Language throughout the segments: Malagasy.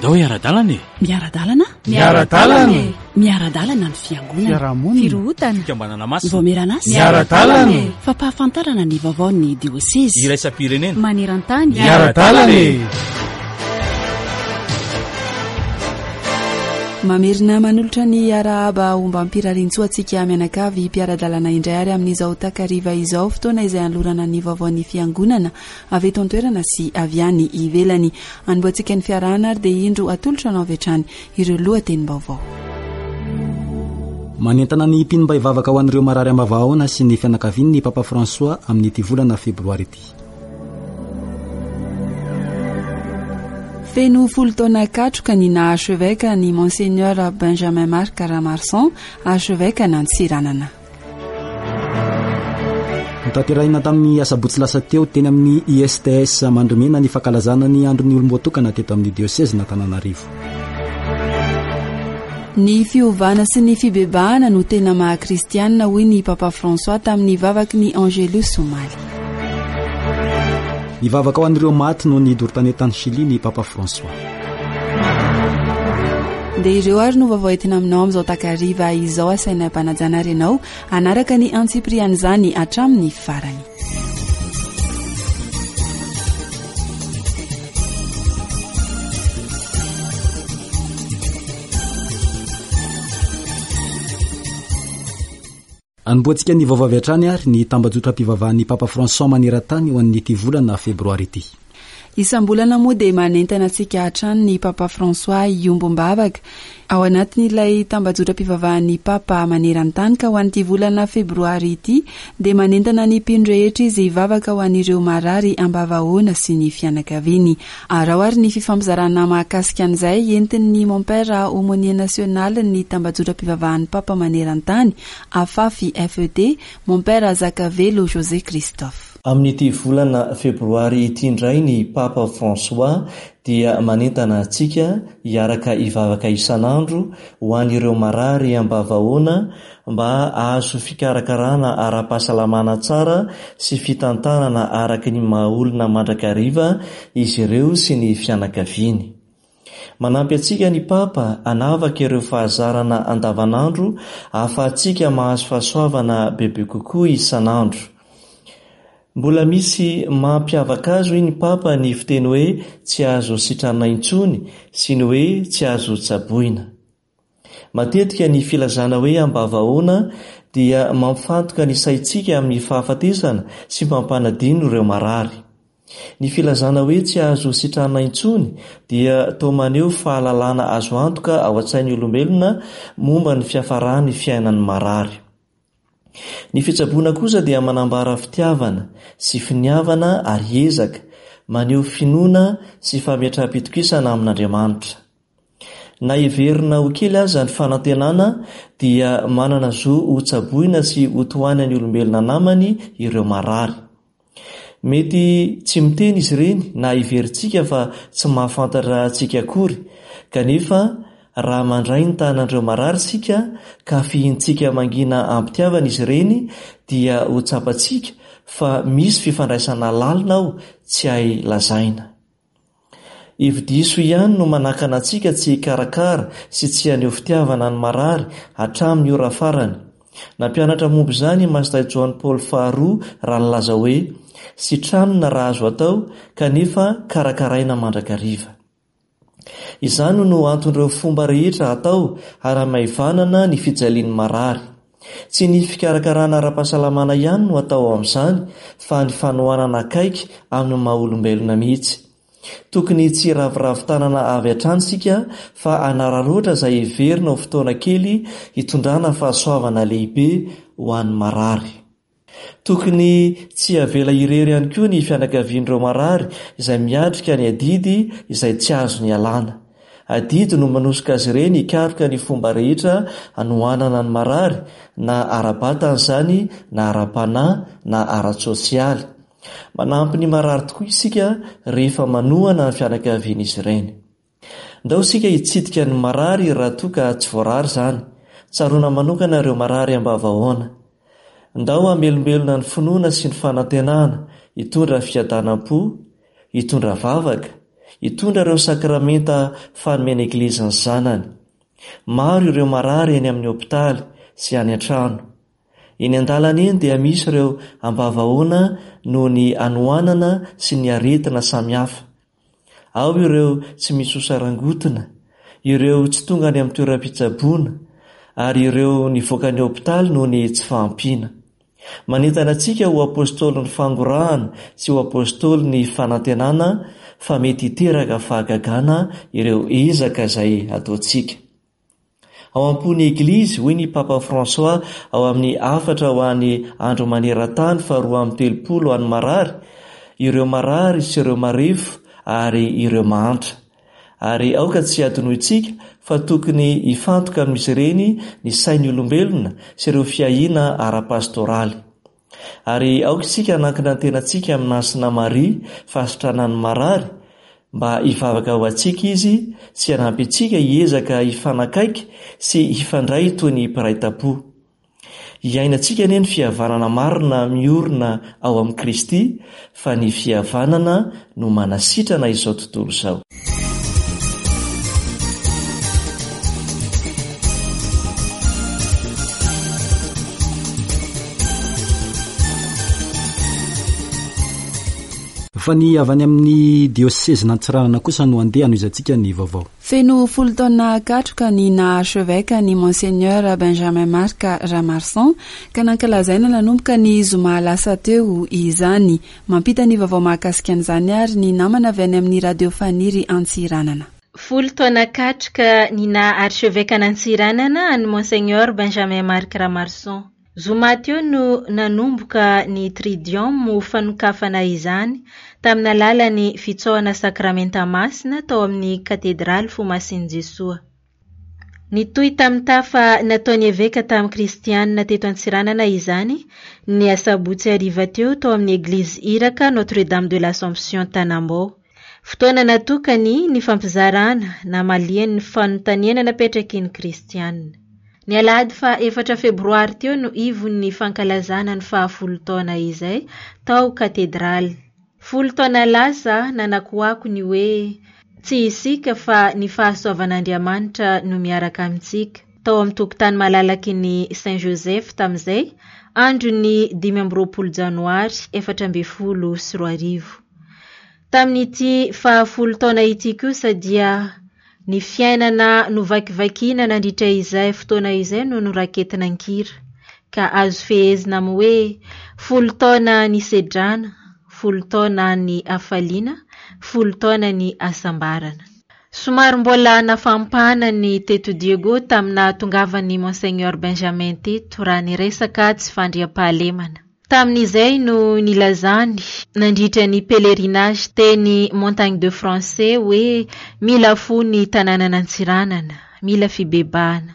Ndao hiara-dalana e! Miara-dalana? Miara-dalana e! Miara-dalana ny fiangonana. Fiarahamonina. Firohotana. Fikambanana masina. Vaomieran'asa. Miara-dalana e! Fampahafantarana ny vaovaon'ny diosezy. Iraisam-pirenena. Maneran-tany. Miara-dalana e! Mamerina manolotra ny arahaba ombam-pirariantsoa antsika mianakavy mpiara-dalana indray ary amin'izao takariva izao fotoana izay anolorana ny vaovaon'ny fiangonana avy eto an-toerana sy avy any ivelany. Anombohantsika ny fiarahana ary dia indro atolotra anao avy hatrany ireo lohatenim-baovao. Manentana ny mpino mba hivavaka ho an'ireo marary am-bavahaona sy ny fianakaviany ny Papa François amin'ity volana febroary ity. Feno folo taona katroka ny naha archevêque ny Monseigneur Benjamin Marc Ramarson, archevêque an'Antsiranana. Notanterahina tamin'ny asabotsy lasa teo teny amin'ny ISTS Mandrimena ny fankalazana ny andron'ny olom-boatokana teto amin'ny diosezin'Antananarivo. Ny fiovana sy ny fibebahana no tena maha kristianina hoy ny Papa François tamin'ny vavaky ny Angelus omaly. Nivavaka ho an'ireo maty noho ny doro tanety tany Chili ny Papa François. Dia ireo ary no vaovao entina aminao amin'izao takariva izao asaina ampanajana ary ianao hanaraka ny antsipirian'izany hatramin'ny farany. Anombohantsika ny vaovao avy hatrany ary ny tambajotram-pivavahan'ny Papa François maneran-tany ho an'ity volana febroary ity. Isam-bolana moa dia manentana antsika hatrany ny Papa François hiombom-bavaka ao anatin'ilay tambajotram-pivavahan'ny Papa maneran-tany ka ho an'ity volana febroary ity dia manentana ny mpino rehetra izy hivavaka ho an'ireo marary ambavahoana sy ny fianakaviany. Araho ary ny fifampizarana mahakasika an'izay entin'ny Mompera Aumônier Nasionalin'ny tambajotram-pivavahan'ny Papa maneran-tany, Afafi FED, Mompera Zakavelo José Christophe. Amin'ity volana febroary ity indray ny Papa François dia manentana antsika hiaraka hivavaka isan'andro ho an'ireo marary ambavahoana mba hahazo fikarakarana ara-pahasalamana tsara sy fitantanana araka ny maha-olona mandrakariva izy ireo sy ny fianakaviany. Manampy antsika ny Papa hanavaka ireo fahazarana andavanandro ahafahantsika mahazo fahasoavana bebe kokoa isan'andro. Mbola misy mampiavaka azy hoy ny Papa ny fiteny hoe tsy azo sitranina intsony sy ny hoe tsy azo tsaboina. Matetika ny filazana hoe ambavahoana dia mampifantoka ny saintsika amin'ny fahafatesana sy mampanadino ireo marary. Ny filazana hoe tsy azo sitranina intsony dia toa maneho fahalalana azo antoka ao an-tsain'ny olombelona momba ny fiafaran'ny fiainan'ny marary. Ny fitsaboana kosa dia manambara fitiavana sy finiavana ary ezaka, maneho finoana sy fametraham-pitokisana amin'Andriamanitra. Na heverina ho kely aza ny fanantenana dia manana zo hotsaboina sy hotohanan'ny olombelona namany ireo marary. Mety tsy miteny izy ireny na heverintsika fa tsy mahafantatra antsika akory, kanefa raha mandray ny tanan'ireo marary isika ka fihintsika mangina am-pitiavana izy ireny dia ho tsapantsika fa misy fifandraisana lalina ao tsy hay lazaina. Hevi-diso ihany no manakana antsika tsy hikarakara sy tsy haneho fitiavana ny marary hatramin'ny ora farany. Nampianatra momba izany i Masindahy Joany Paoly faharoa raha nilaza hoe, Sitranina raha azo atao, kanefa karakaraina mandrakariva. Izany no anton'ireo fomba rehetra atao hanamaivanana ny fijalian'ny marary. Tsy ny fikarakarana ara-pahasalamana ihany no atao ao amin'izany fa ny fanohanana akaiky amin'ny maha-olombelona mihitsy. Tokony tsy hiraviravy tanana avy hatrany isika fa hanararaotra izay heverina ho fotoana kely hitondrana fahasoavana lehibe ho an'ny marary. Tokony tsy havela irery ihany koa ny fianakavian'ireo marary izay miatrika ny adidy izay tsy azony ialana. Adidy no manosika azy ireny hikaroka ny fomba rehetra hanohanana ny marary, na ara-batana izany na ara-panahy na ara-tsosialy. Manampy ny marary tokoa isika rehefa manohana ny fianakavian'izy ireny. Ndao isika hitsidika ny marary raha toa ka tsy voarara izany. Tsaroana manokana ireo marary ambavahaona. Ndao hamelombelona ny finoana sy ny fanantenana, hitondra fiadanam-po, hitondra vavaka, hitondra ireo sakramenta fanomena Eglizy ny zanany. Maro ireo marary eny amin'ny hopitaly sy any an-trano. Eny an-dalana eny dia misy ireo ambavahoana noho ny hanoanana sy ny aretina samihafa. Ao ireo tsy misy osa rangotina, ireo tsy tonga any amin'ny toeram-pitsaboana, ary ireo nivoaka ny hopitaly noho ny tsy fahampiana. Manentana antsika ho apostolin'ny fangorahana sy ho apostolin'ny fanantenana fa mety hiteraka fahagagana ireo ezaka izay ataontsika. Ao am-pon'ny Eglizy, hoy ny Papa François ao amin'ny hafatra ho an'ny Andro maneran-tany faharoa amby telopolo ho an'ny marary, ireo marary sy ireo marefo ary ireo mahantra. Ary aoka tsy hadinointsika fa tokony hifantoka amin'izy ireny ny sain'ny olombelona sy ireo fiahiana ara-pastoraly. Ary aoka isika hanankina ny tenantsika amin'i Masina Maria, fahasitranan'ny marary, mba hivavaka ho antsika izy sy hanampy antsika hiezaka hifanakaiky sy hifandray toy ny mpiray tampo. Hiainantsika anie ny fihavanana marina miorina ao amin'i Kristy, fa ny fihavanana no manasitrana izao tontolo izao. Fa ny avy any amin'ny diosezin'Antsiranana kosa no andeha hanohizantsika ny vaovao. Feno folo taona katroka ny naha archevêque an'i Monseigneur Benjamin Marc Ramarson ka nankalazaina nanomboka ny zoma lasa teo izany. Mampita ny vaovao mahakasika an'izany àry ny namana avy any amin'ny Radio Faniry Antsiranana. Folo taona katroka ny naha archeveque-an'Antsiranana an'i Monseigneur Benjamin Marc Ramarson. Zoma teo no nanomboka ny Tridium ho fanokafana izany tamin'ny alalan'ny fitsaohana sakramenta masina tao amin'ny Katedraly Fo Masin'i Jesoa. Nitohy tamin'ny tafa nataon'ny eveka tamin'ny kristianina teto Antsiranana izany ny asabotsy hariva teo tao amin'ny eglizy Iraka Notre Dame de l'Assomption Tanambao. Fotoana natokany nifampizarana namaliany ny fanontaniana napetraky ny kristianina. Ny alahady faha efatra febroary teo no ivon'ny fankalazana ny faha folo taona izay tao katedraly. Folo taona lasa, nanakoako ny hoe, Tsy isika fa ny fahasoavan'Andriamanitra no miaraka amintsika, tao amin'ny tokotany malalaky ny Saint Joseph tamin'izay, andron'ny 25 janoary 2014. Tamin'ity fahafolo taona ity kosa dia Ny fiainana novakivakiana nandritra izay fotoana izay no noraketina an-kira, ka azo fehezina amin'ny hoe folo taona nisedrana, folo taona ny hafaliana, folo taona ny hasambarana. Somary mbola nafampana ny teto Diego tamin'ny nahatongavan'i Monseigneur Benjamin teto raha niresaka tsy fandriampahalemana. Tamin'izay no nilazany nandritra ny pèlerinage teny Montagne de Français hoe mila fo ny tanànan'Antsiranana, mila fibebahana.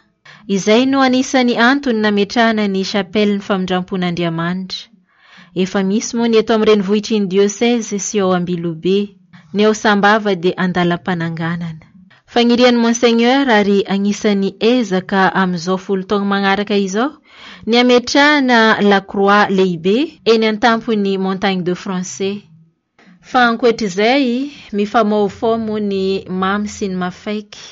Izay no anisan'ny antony nametrahana ny Chapelle-n'ny Famindrampon'Andriamanitra. Efa misy moa ny eto amin'ny renivohitry ny diocèse sy ao Ambilobe. Ny ao Sambava dia andalam-pananganana. Fagnirian'i Monseigneur ary agnisan'ny ezaka amin'izao folo taogno magnaraka izao ny hametrahana Lakroa lehibe eny an-tampon'ny Montagne de Français. Fa ankoatr'izay, mifamahofaho moa ny mamy sy ny mafaiky.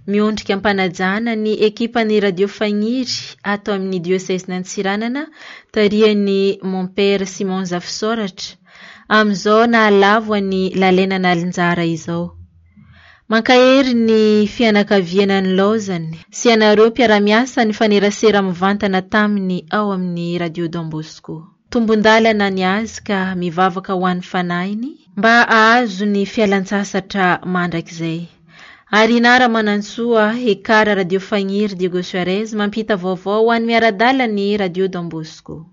Miondrika am-panajana ny ekipan'ny Radio Fagniry ato amin'ny diosezin'Antsiranana tarihan'i Mompera Simon Zafisaoratra, amin'izao nahalavo an'i Lalaina Nalinjara izao. Mankahery ny fianakaviana nilaozany sy ianareo mpiara-miasa nifanerasera mivantana taminy ao amin'ny Radio Don Bosco. Tombon-dalana ny azy ka mivavaka ho an'ny fanahiny mba hahazo ny fialan-tsasatra mandrakizay. Arina Ramanantsoa, Ekar Radio Fagniry Diego Suarez mampita vaovao ho an'ny miara-dala ny Radio Don Bosco.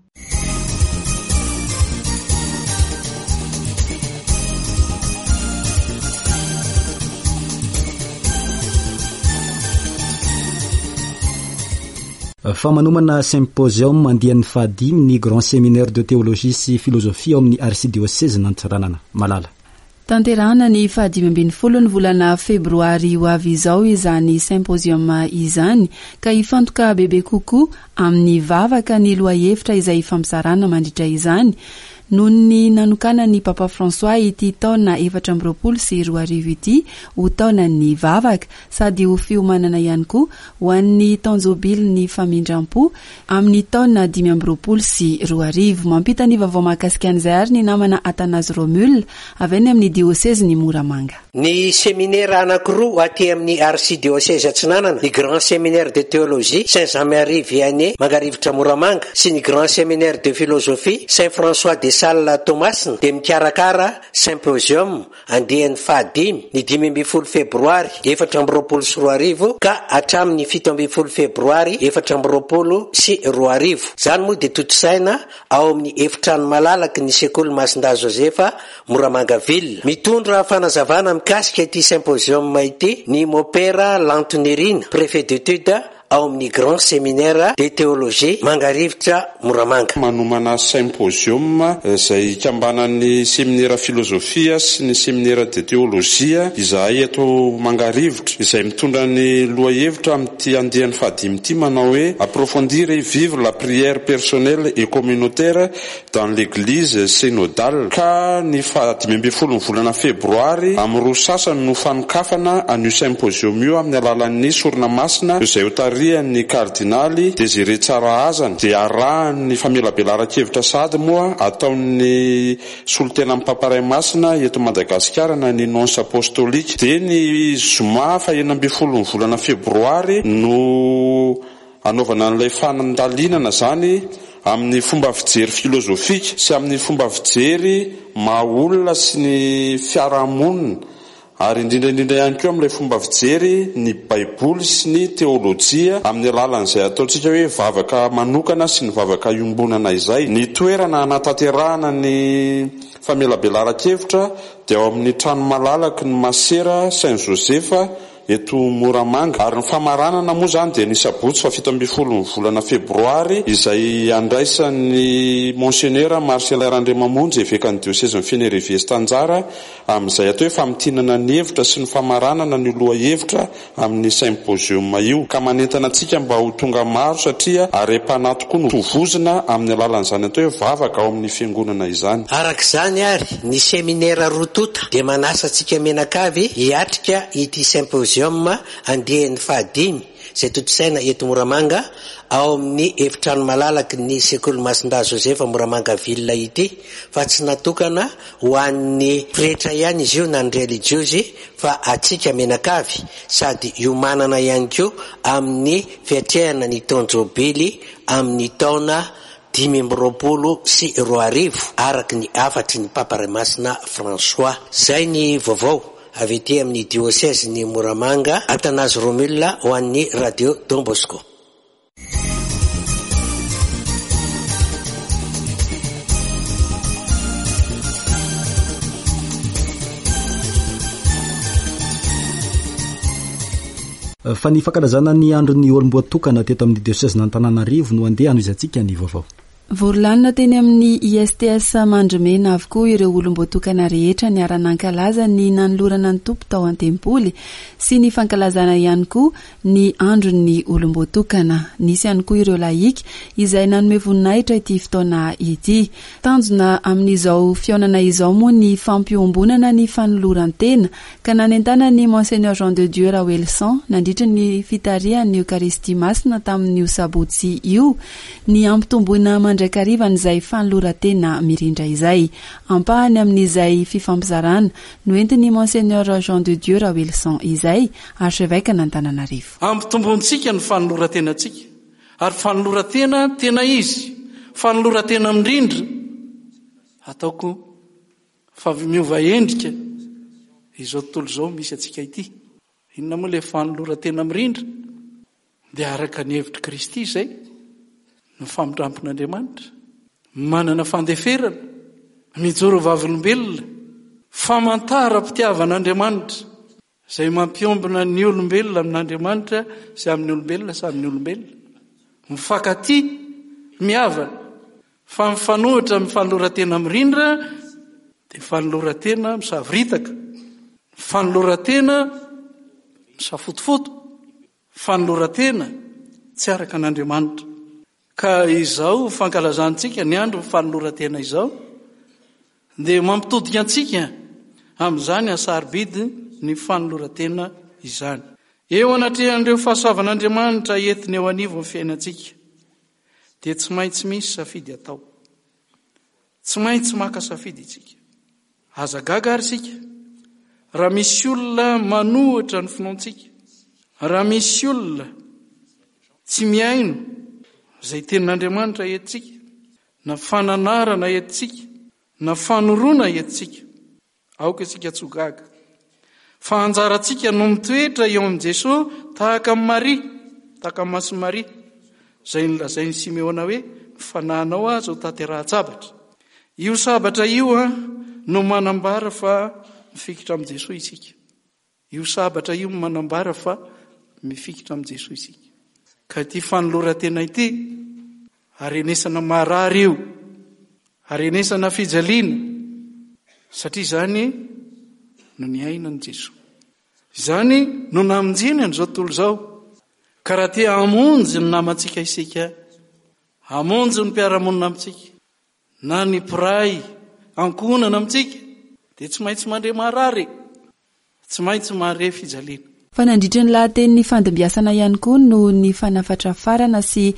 Fa manomana symposium andiany fahadimy ny Grand Séminaire de Théologie sy Philosophie ao amin'ny Arsidiosezin'Antsiranana. Malala. Tanterahana ny faha-15 ny volana febroary ho avy izao izany symposium izany ka hifantoka bebe kokoa amin'ny vavaka ny lohahevitra izay hifampizarana mandritra izany. Noho ny nanokanan'ny Papa François ity taona 2024 ity ho taonan'ny vavaka sady ho fiomanana ihany koa ho an'ny taon-jobilin'ny famindram-po amin'ny taona 2025. Mampita ny vaovao mahakasika an'izay ary ny namana Athanase Romule avy any amin'ny diosezin'i Moramanga. Ny seminera anankiroa aty amin'ny Arsidiôsezy Atsinanana, ny Grand Séminaire de Théologie Saint Jean Marie Vianney Mangarivotra Moramanga sy ny Grand Séminaire de Philosophie Saint François de Sales Toamasina dia mikarakara Symposium andiany fahadimy ny 15 febroary 2024 ka hatramin'ny 17 febroary 2024. Izany moa dia tontosaina ao amin'ny efitrano malalaky ny sekoly Masindahy Josefa Moramanga Ville. Mitondra fanazavana mikasika ity symposium ity ny Mopera Lanto Nirina, Préfet d'études ao amin'ny Grand Séminaire de Théologie Mangarivotra Moramanga. Manomana symposium izay ikambanan'ny seminera filozofia sy ny seminera de teolojia izahay eto Mangarivotra, izay mitondra ny lohahevitra amin'ity andiany fahadimy ity manao hoe Approfondir et vivre la prière personnelle et communautaire dans l'église synodale ka ny faha 15 ny volana febroary amin'ny roa sasany no fanokafana an'io symposium io amin'ny alalan'ny sorona masina izay ho tarihan'ny kardinaly Désiré Tsarahazana dia arahan'ny famelabelaran-kevitra sahady moa ataon'ny solontenan'ny Papa Ray Masina eto Madagasikara na ny Nonce Apostolique dia ny zoma faha 16 ny volana febroary no Anaovana an'ilay fandalinana izany amin'ny fomba fijery filozofika sy amin'ny fomba fijery maha olona sy ny fiarahamonina ary indrindra indrindra ihany koa amin'ilay fomba fijery ny Baiboly sy ny teolojia amin'ny alalan'izay ataontsika hoe vavaka manokana sy ny vavaka iombonana izay. Ny toerana hanatanterahana ny famelabelaran-kevitra dia ao amin'ny trano malalaky ny Masera Saint Joseph eto Moramanga. Ary ny famaranana moa izany dia ny sabotsy faha 17 ny volana febroary izay handraisan'ny Monsenera Marcellin Randriamamonjy evekan'ny diosezin'i Fénérive-Est anjara amin'izay atao hoe famintinana ny hevitra sy ny famaranana an'io lohahevitra amin'ny symposium io. Ka manentana antsika mba ho tonga maro satria harem-panahy tokoa no tovozina amin'ny alalan'izany atao hoe vavaka ao amin'ny fiangonana izany. Araka izany ary, ny seminera roa tonta dia manasa antsika mianakavy hiatrika ity symposium andiany fahadimy izay tontosaina eto Moramanga ao amin'ny efitrano malalaky ny sekoly Masindahy Josefa Moramanga Ville ity fa tsy natokana ho an'ny pretra ihany izy io na ny relijiozy fa antsika mianakavy sady hiomanana ihany koa amin'ny fiatrehana ny taon-jobily amin'ny taona 2025, araka ny hafatry ny Papa Ray Masina François. Izay ny vaovao avy ety amin'ny diosezin'i Moramanga, Athanase Romule ho an'ny Radio Don Bosco. Fa ny fankalazana ny andron'ny olom-boatokana teto amin'ny diosezin'Antananarivo no andeha hanohizantsika ny vaovao. Vory lanona teny amin'ny ISTS Mandrimena avokoa ireo olom-boatokana rehetra niara-nankalaza ny nanolorana ny Tompo tao an-tempoly sy ny fankalazana ihany koa ny andron'ny olom-boatokana. Nisy ihany koa ireo lahika izay nanome voninahitra ity fotoana ity. Tanjona amin'izao fihaonana izao moa ny fampiombonana ny fanoloran-tena ka nanentanan'ny Monseigneur Jean de Dieu Raoelison nandritra ny fitarihany ny Eokaristia Masina tamin'io sabotsy io ny hampitomboina mandrakariva an'izay fanoloran-tena mirindra izay. Ampahany amin'izay fifampizarana noentin'ny Monseigneur Jean de Dieu Raoelison izay, Archevêque-n'Antananarivo. Ampitombointsika ny fanoloran-tenantsika, ary fanoloran-tena tena izy, fanoloran-tena mirindra, ataoko fa miova endrika izao tontolo izao misy antsika ity. Inona moa ilay fanoloran-tena mirindra? Dia araka ny hevitr'i Kristy izay, ny famindrampon'Andriamanitra, manana fandeferana, mijoro vavolombelona, famantaram-pitiavan'Andriamanitra, Izay mampiombona ny olombelona amin'Andriamanitra sy amin'ny olombelona samy ny olombelona. Mifankatia, mihavana. Fa mifanohitra amin'ny fanoloran-tena mirindra dia fanoloran-tena misavoritaka, fanoloran-tena misafotofoto, fanoloran-tena tsy araka an'Andriamanitra. Ka izao fankalazantsika ny andro fanoloran-tena izao. Dia mampitodika antsika amin'izany hasarobidy ny fanoloran-tena izany. Eo anatrehan'ireo fahasoavan'Andriamanitra entiny eo anivon'ny fiainantsika, dia tsy maintsy misy safidy atao. Tsy maintsy maka safidy isika. Aza gaga àry isika raha misy olona manohitra ny finoantsika, raha misy olona tsy mihaino izay tenin'Andriamanitra entintsika, na fananarana entintsika, na fanoroana entintsika. Aoka isika tsy ho gaga fa anjarantsika no mitoetra eo amin'i Jesoa tahaka an'i Maria, tahaka an'i Masin'i Maria, izay nolazain'i Simeona hoe, Ny fanahinao aza ho tanterahan-tsabatra. Io sabatra io no manambara fa mifikitra amin'i Jesoa isika. Io sabatra io no manambara fa mifikitra amin'i Jesoa isika. Ka ity fanoloran-tena ity, harenesana marary io, harenesana fijaliana, satria izany no niainan'i Jesoa. Izany no namonjeny an'izao tontolo izao. Ka raha te hamonjy ny namantsika isika, hamonjy ny mpiara-monina amintsika, na ny mpiray ankohonana amintsika dia tsy maintsy mandre marary e! Tsy maintsy mahare fijaliana. Fa nandritra ny lahateny nifandimbiasana ihany koa no nifanafatrafarana sy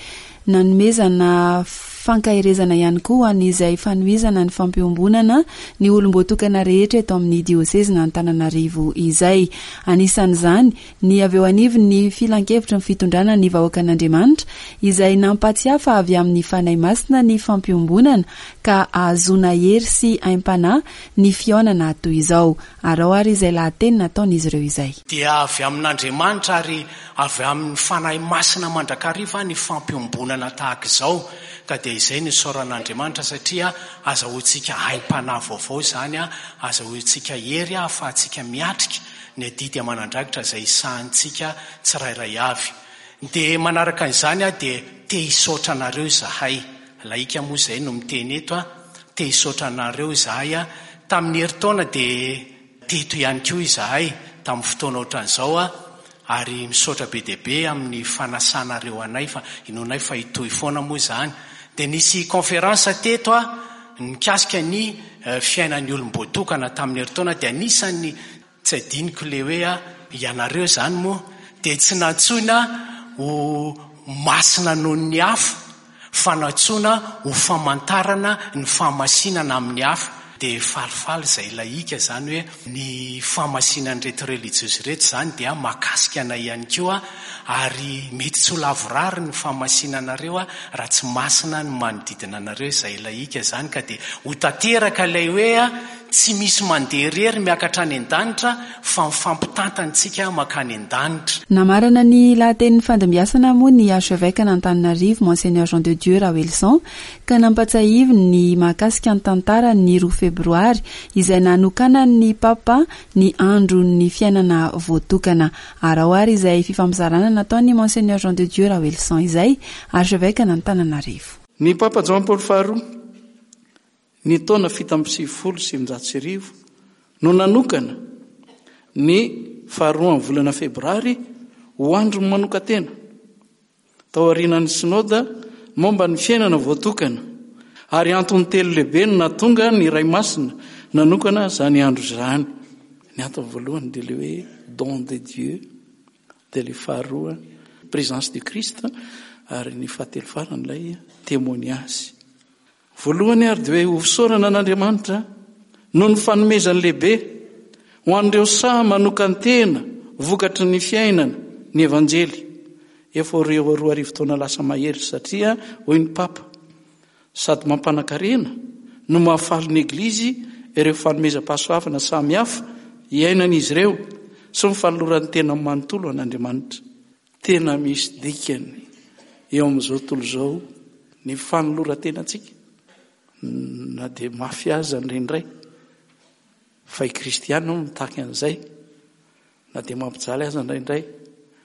nanomezana fankaherezana ihany koa ho an'izay fanohizana ny fampiombonana ny olom-boatokana rehetra eto amin'ny diosezin'Antananarivo izay. Anisan'izany ny avy eo anivon'ny Filankevitry ny Fitondrana ny Vahoakan'Andriamanitra, izay nampatsiahy fa avy amin'ny Fanahy Masina ny fampiombonana, ka ahazoana hery sy aim-panahy ny fihaonana toy izao. Araho àry izay lahateny nataon'izy ireo izay. Dia avy amin'Andriamanitra ary avy amin'ny Fanahy Masina mandrakariva ny fampiombonana tahaka izao, ka dia izay no isaoran'Andriamanitra satria azahoantsika aim-panahy vaovao izany, azahoantsika hery ahafahantsika miatrika ny adidy aman'andraikitra izay sahanintsika tsirairay avy. Dia manaraka an'izany aho dia te hisaotra anareo izahay, lahika moa izay no miteny eto an, te hisaotra anareo izahay an, tamin'ny herintaona dia teto ihany koa izahay tamin'ny fotoana ohatran'izao an, ary misaotra be dia be amin'ny fanasanareo anay fa inoanay fa hitohy foana moa izany. Dia nisy conférence teto an, Nikasika ny fiainan'ny olom-boatokana tamin'ny herintaona dia anisan'ny tsy adinoko ilay hoe ianareo izany moa dia tsy nantsoina ho masina noho ny hafa fa nantsoina ho famantarana ny fahamasinana amin'ny hafa. Dia falifaly izay lahika izany hoe ny fahamasinan'ireto relijiozy ireto izany dia mahakasika anay ihany koa Ary mety tsy ho lavorary ny fahamasinanareo raha tsy masina ny manodidina anareo izay lahika izany ka dia ho tanteraka ilay hoe tsy misy mandeha irery miakatra any an-danitra fa mifampitantana isika mankany an-danitra. Namarana ny lahatenin'ny fandimbiasana moa ny Archevêque an'Antananarivo Monseigneur Jean de Dieu Raoelison ka nampatsiahiviny ny mahakasika ny tantaran'ny roa febroary izay nanokanan'ny Papa ny andron'ny fiainana voatokana. Araho ary izay fifampizarana nataon'i Monseigneur Jean de Dieu Raoelison izay, Archevêque an'Antananarivo. Ny Papa Joany Paoly Faharoa, ny taona 1997, no nanokana ny faharoan'ny volana Febroary ho andron'ny manokan-tena. Tao aorianan'ny Synoda momba ny fiainana voatokana, ary antony telo lehibe no nahatonga ny Ray Masina nanokana izany andro izany. Ny antony voalohany dia ilay hoe don de Dieu, dia ilay faharoa présence du Christ, ary ny fahatelo farany ilay témoignage. Voalohany ary dia hoe ho fisaorana an'Andriamanitra noho ny fanomezany lehibe ho an'ireo sahy manokan-tena vokatry ny fiainana ny Evanjely efa ho 2000 taona lasa mahery satria hoy ny Papa sady mampanan-karena no mahafaly ny Eglizy ireo fanomezam-pahasoavana samihafa iainan'izy ireo sy ny fanolorany tena manontolo an'Andriamanitra. Tena misy dikany eo amin'izao tontolo izao ny fanoloran-tenantsika, na dia mafy aza indraindray, fa i Kristy ihany no mitaky an'izay, na dia mampijaly aza indraindray,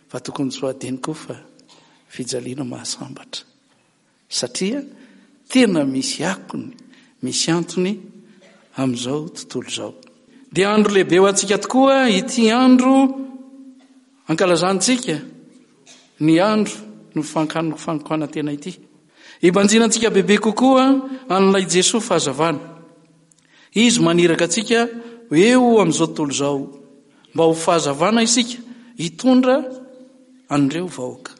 fa tokony tsy ho adino koa fa fijaliana mahasambatra. Satria tena misy akony, misy antony amin'izao tontolo izao. Dia andro lehibe ho antsika tokoa ity andro ankalazantsika ny andro no fanokanantena ity. Hibanjinantsika bebe kokoa an'ilay Jesoa fahazavana. Izy maniraka antsika eo amin'izao tontolo izao mba ho fahazavana isika hitondra an'ireo vahoaka.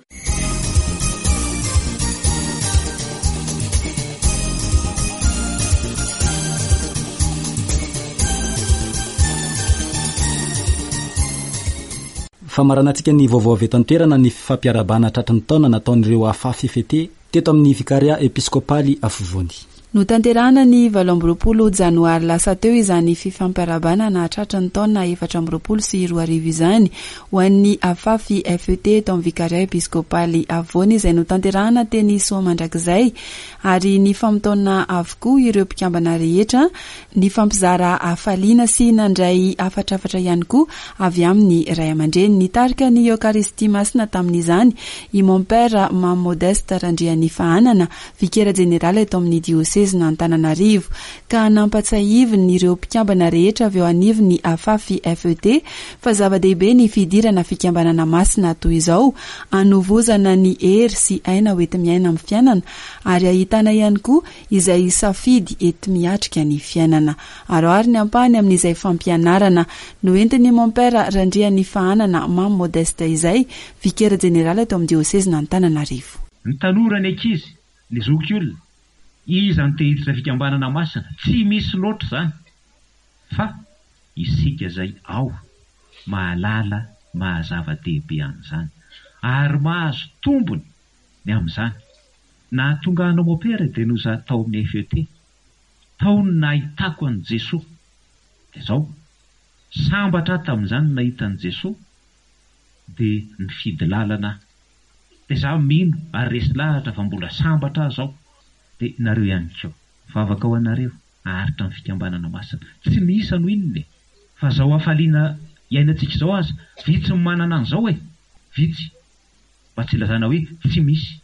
Famaranantsika ny vaovao avy eto an-toerana ny fifampiarahabana tratry ny taona nataon'ireo Afafy FT teto amin'ny Vikaria Episkopaly Afovoany. Notanterahana ny 28 janoary lasa teo izany fifampiarahabana nahatratra ny taona 2024 izany ho an'ny Afafy FET eto amin'ny Vikaria Episkopaly Afovoany izay notanterahana teny Soamandrakizay ary nifamotaona avokoa ireo mpikambana rehetra Nifampizara hafaliana sy nandray hafatrafatra ihany koa avy amin'ny ray aman-dreny. Nitarika ny Eokaristia Masina tamin'izany i Mompera Mamy Modeste Randrianifahanana, Vikera Jeneraly eto amin'ny Diosezin'Antananarivo, ka nampatsiahiviny ireo mpikambana rehetra avy eo anivon'ny Afafi FET fa zava-dehibe ny fidirana fikambanana masina toy izao hanovozana ny hery sy aina hoenti-miaina amin'ny fiainana ary ahitana ihany koa izay safidy enti-miatrika ny fiainana. Aro ary ny ampahany amin'izay fampianarana noentin'i Mompera Randrianifahanana Mamy Modeste izay, Vikera Jeneraly eto amin'ny Diosezin'Antananarivo. Ny tanora, ny ankizy, ny zokiolona, iza no te hiditra fikambanana masina? Tsy misy loatra izany fa isika izay ao mahalala maha zava-dehibe an'izany ary mahazo tombony ny amin'izany. Nahatonga anao mopera dia noho izaho tao amin'ny FET. Tao no nahitako an'i Jesoa. Dia izao, sambatra aho tamin'izany nahita an'i Jesoa, dia nifidy lalana aho. Dia izaho mino ary resy lahatra fa mbola sambatra aho izao. Dia nareo ihany koa. Vavaka ho anareo haharitra amin'ny fikambanana masina. Tsy ny isa no inona e! Fa izao hafaliana iainantsika izao aza, vitsy ny manana an'izao e! Vitsy. Mba tsy ilazana hoe tsy misy.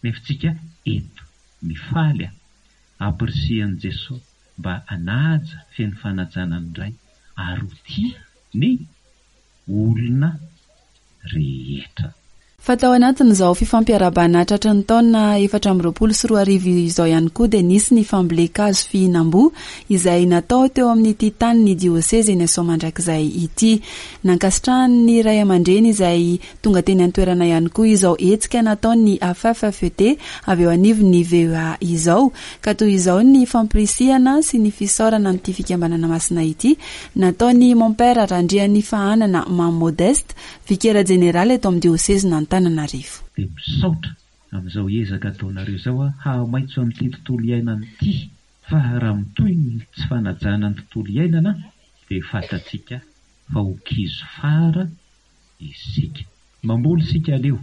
Nefa tsika eto mifaly a! Ampirisihan'i Jesoa mba hanaja feno fanajana ny Ray ary ho tia ny olona rehetra. Fa tao anatin'izao fifampiarahabana tratry ny taona 2024 izao ihany koa dia nisy ny fambolen-kazo fihinam-boa izay natao teo amin'ity tanin'ny diosezy eny Soamandrakizay ity. Nankasitrahan'ny ray aman-dreny izay Tonga teny an-toerana ihany koa izao hetsika nataon'ny AFFET avy eo anivon'ny VOA izao, ka toy izao ny fampirisihana sy ny fisaorana an'ity fikambanana masina ity nataon'i Mompera Randrianifahanana Mamy Modeste, Vikera Jeneraly eto amin'ny Diosezin'Antananarivo. Dia misaotra amin'izao ezaka ataonareo izao aho hahamaitso an'ity tontolo iainana ity fa raha mitohy ny tsy fanajana ny tontolo iainana dia fantatsika fa ho kizo fara isika. Mamboly isika aleo.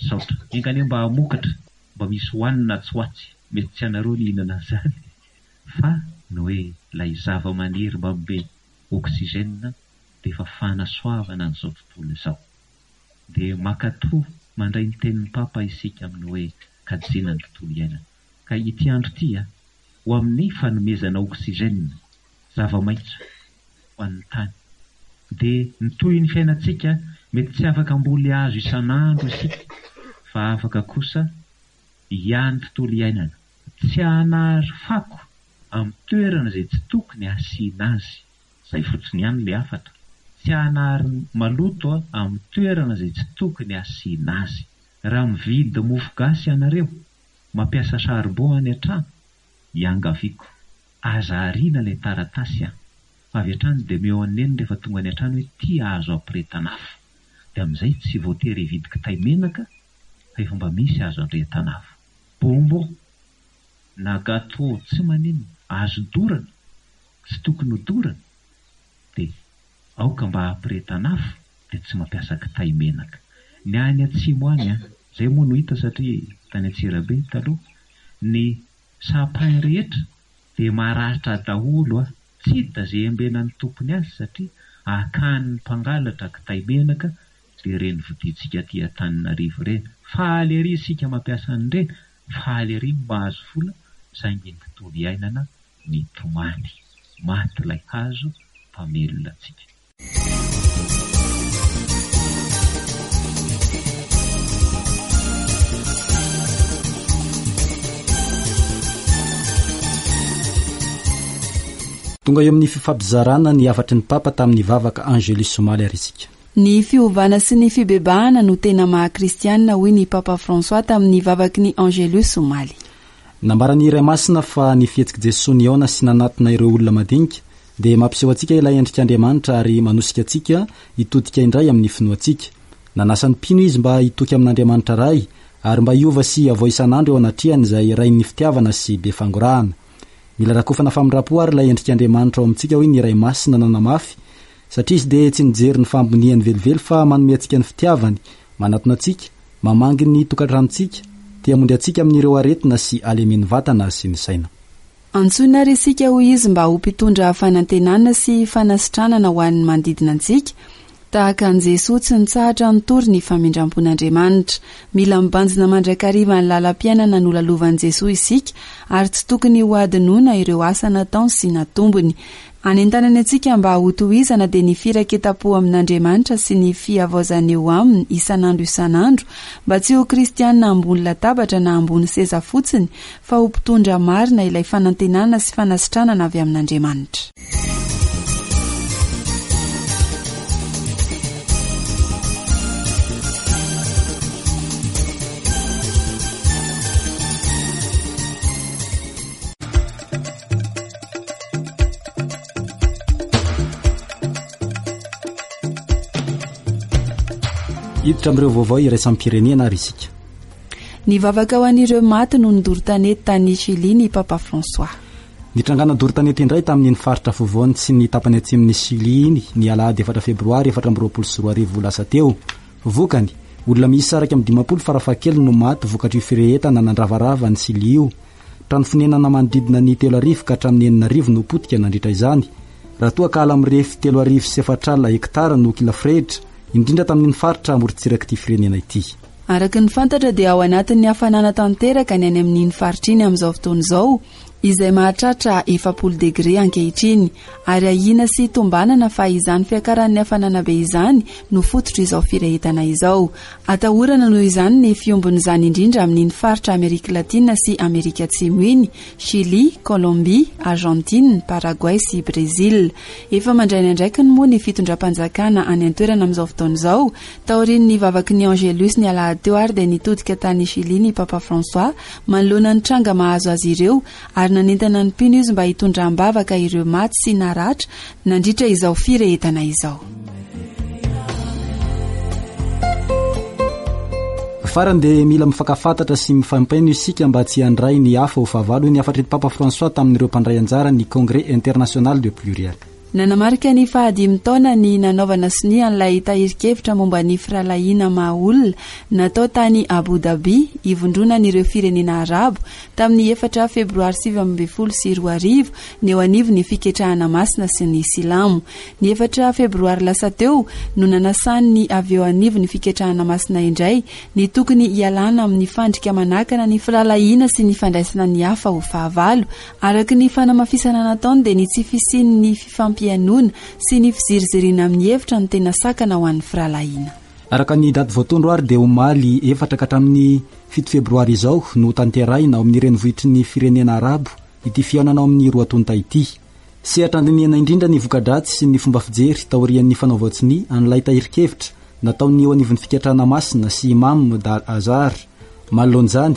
Misaotra. Enga anie mba hamokatra, mba misy hohanina atsy ho atsy. Mety tsy anareo ny hihinana an'izany fa ny hoe ilay zava-maniry manome oxygène dia efa fanasoavana an'izao tontolo izao. Dia mankatò mandray ny tenin'ny Papa isika amin'ny hoe kajiana ny tontolo iainana. Ka ity andro ity ho amin'ny fanomezana oxygène, zava-maitso, ho an'ny tany. Dia ny tohin'ny fiainantsika, mety tsy afaka hamboly hazo isan'andro isika, fa afaka kosa hiahy ny tontolo iainana. Tsy hanary fako amin'ny toerana izay tsy tokony hasiana azy. Izay fotsiny ihany ilay hafatra. Tsy hanary maloto amin'ny toerana izay tsy tokony hasiana azy. Raha mividy mofo gasy ianareo, mampiasa charbon any an-trano, iangaviako, aza ariana ilay taratasy an! Fa avy hatrany dia omeo an'i Neny rehefa tonga any an-trano hoe ity azo ampirehetana afo. Dia amin'izay tsy voatery hividy kitay menaka fa efa mba misy azo andrehetana afo. Bonbon na gâteau tsy maninona, azo dorana, tsy tokony ho dorana, dia aoka mba hampirehetana afo dia tsy mampiasa kitay menaka. Ny any atsimo any an, izay moa no hita satria tany Antsirabe taloha, ny sapin rehetra dia maratra daholo a! Tsy hita ze embenan'ny tompony azy satria akan'ny mpangalatra kitay menaka dia ireny vidiantsika aty Antananarivo ireny. Faly ery isika mampiasa an'ireny, faly ery ny mahazo vola saingy ny tontolo iainana mitomany. Maty ilay hazo mpamelona antsika. Tonga eo amin'ny fifampizarana ny hafatry ny Papa tamin'ny vavaka Angelus omaly ary isika. Ny fiovana sy ny fibebahana no tena maha kristianina hoy ny Papa François tamin'ny vavaky ny Angelus omaly. Nambaran'ny Ray Masina fa ny fihetsik'i Jesoa nihaona sy nanatona ireo olona madinika dia mampiseho antsika ilay endrik'Andriamanitra ary manosika antsika hitodika indray amin'ny finoantsika. Nanasa ny mpino izy mba hitoky amin'Andriamanitra Ray ary mba hiova sy hihavao isan'andro eo anatrehany izay Rain'ny fitiavana sy be fangorahana. Mila rakofana famindram-po ary ilay endrik'Andriamanitra ao amintsika hoy ny Ray Masina nanamafy satria Izy dia tsy mijery ny fahamboniany velively fa manome antsika ny fitiavany, manatona antsika, mamangy ny tokantranontsika, te hamonjy antsika amin'ireo aretina sy halemen'ny vatana sy ny saina. Antsoina ary isika hoy izy mba ho mpitondra fanantenana sy fanasitranana ho an'ny manodidina antsika, Tahaka an'i Jesoa tsy nitsahatra nitory ny famindram-pon'Andriamanitra. Mila mibanjina mandrakariva ny lalam-piainana nolalovan'i Jesoa isika ary tsy tokony hohadinoina ireo asa nataony sy natombony. Anentanany antsika mba hotohizana dia ny firaketam-po amin'Andriamanitra sy ny fihavaozana eo Aminy isan'andro isan'andro mba tsy ho kristiana ambony latabatra na ambony seza fotsiny fa ho mpitondra marina ilay fanantenana sy fanasitranana avy amin'Andriamanitra. Hiditra amin'ireo vaovao iraisam-pirenena ary isika. Nivavaka ho an'ireo maty noho ny doro tanety tany Chili ny Papa François. Nitrangana doro tanety indray tamin'iny faritra afovoany sy ny tapany atsimon'i Chili iny ny alahady efatra febroary 2024 lasa teo. Vokany, olona miisa 51 farafahakeliny no maty vokatr'io firehetana nandravarava an'i Chili io. Trano fonenana manodidina ny 3000 ka hatramin'ny 6000 no potika nandritra izany, raha toa ka ala mirefy 40 300 hektara no kila firehitra, indrindra tamin'iny faritra amorontsirak'ity firenena ity. Araka ny fantatra dia ao anatin'ny hafanana tanteraka ny any amin'iny faritra iny amin'izao fotoana izao, izay mahatratra 40 degre ankehitriny, ary ahiana sy tombanana fa izany fiakaran'ny hafanana be izany no fototr'izao firehetana izao. Atahorana noho izany ny fiombon'izany indrindra amin'iny faritra Amerika Latina sy Amerika Atsimo iny, Chili, Colombie, Argentine, Paraguay sy Brésil. Efa mandray ny andraikiny moa ny fitondram-panjakana any an-toerana amin'izao fotoana izao, Taorian'ny vavaky ny Angelus ny alahady teo ary dia nitodika tany Chili ny Papa François manoloana ny tranga mahazo azy ireo ary nanentana ny mpino izy mba hitondra am-bavaka ireo maty sy naratra nandritra izao firehetana izao. Farany dia mila mifankafantatra sy mifampaino isika mba tsy handray ny hafa ho fahavalo, hoy ny hafatr'i Papa François tamin'ireo mpandray anjara ny Congrès international de pluriel. Nanamarika ny fahadimy taona ny nanaovana sonia an'ilay tahirin-kevitra momba ny firahalahiana maha-olona natao tany Abu Dhabi, ivondronan'ireo firenena Arabo, tamin'ny efatra Febroary 2019 ny eo anivon'ny Fiketrahana Masina sy ny Silamo. Ny efatra Febroary lasa teo no nanasan'ny avy eo anivon'ny Fiketrahana Masina indray ny tokony hialana amin'ny fandrika manakana ny firahalahiana sy ny fandraisana ny hafa ho fahavalo Araka ny fanamafisana nataony dia ny tsy fisian'ny fifampihainoana sy ny fiziriziriana amin'ny hevitra no tena sakana ho an'ny firahalahiana. Araka ny daty voatondro ary dia omaly efatra ka hatramin'ny fito febroary izao no hotanterahina ao amin'ny renivohitry ny firenena arabo ity fihaonana ao amin'ny roa tonta ity. Sehatra andinihana indrindra ny voka-dratsy sy ny fomba fijery taorian'ny fanaovan-tsonia an'ilay tahirin-kevitra nataon'ny eo anivon'ny Fikatrana Masina sy Imam Dar Azhar. Manoloana izany,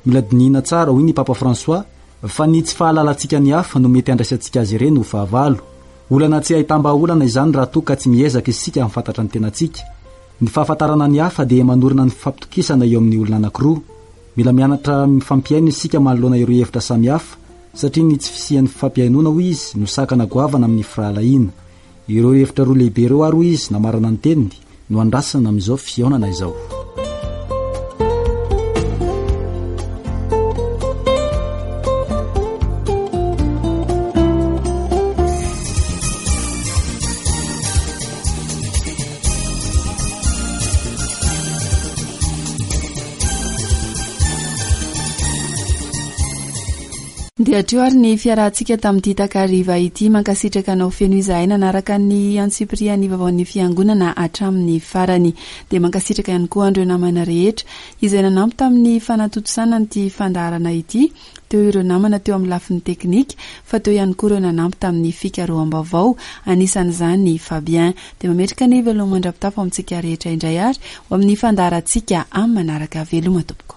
Mila dinihina tsara, hoy ny Papa François, fa ny tsy fahalalantsika ny hafa no mety handraisantsika azy ireny ho fahavalo. Olana tsy ahitam-bahaolana izany raha toa ka tsy miezaka isika hahafantatra ny tenantsika. Ny fahafantarana ny hafa dia manorina ny fifampitokisana eo amin'ny olona anankiroa. Mila mianatra mifampihaino isika manoloana ireo hevitra samihafa, satria ny tsy fisian'ny fifampihainoana, hoy izy, no sakana goavana amin'ny firahalahiana. Ireo hevitra roa lehibe ireo ary, hoy izy, namarana ny teniny, no andrasana amin'izao fihaonana izao. Dia hatreo ary ny fiarahantsika tamin'ity takariva ity. Mankasitraka anao feno izahay nanaraka ny antsipirihan'ny vaovaon'ny Fiangonana hatramin'ny farany. Dia mankasitraka ihany koa an'ireo namana rehetra izay nanampy tamin'ny fanatontosana an'ity fandaharana ity. Teo ireo namana teo amin'ny lafiny teknika, fa teo ihany koa ireo nanampy tamin'ny fikaroham-baovao, anisan'izany i Fabien. Dia mametraka ny veloma mandra-pitafo amintsika rehetra indray ary ho amin'ny fandaharantsika amin'ny manaraka. Veloma tompoko.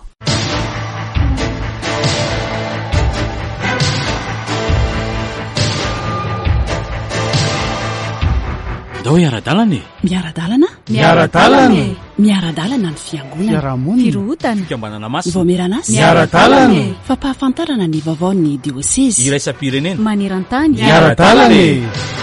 Ndao hiara-dalana e! Miara-dalana? Miara-dalana e! Miara-dalana ny fiangonana. Fiarahamonina. Firohotana. Fikambanana masina. Vaomieran'asa. Miara-dalana e! Fampahafantarana ny vaovaon'ny diosezy. Iraisam-pirenena. Maneran-tany. Miara-dalana e!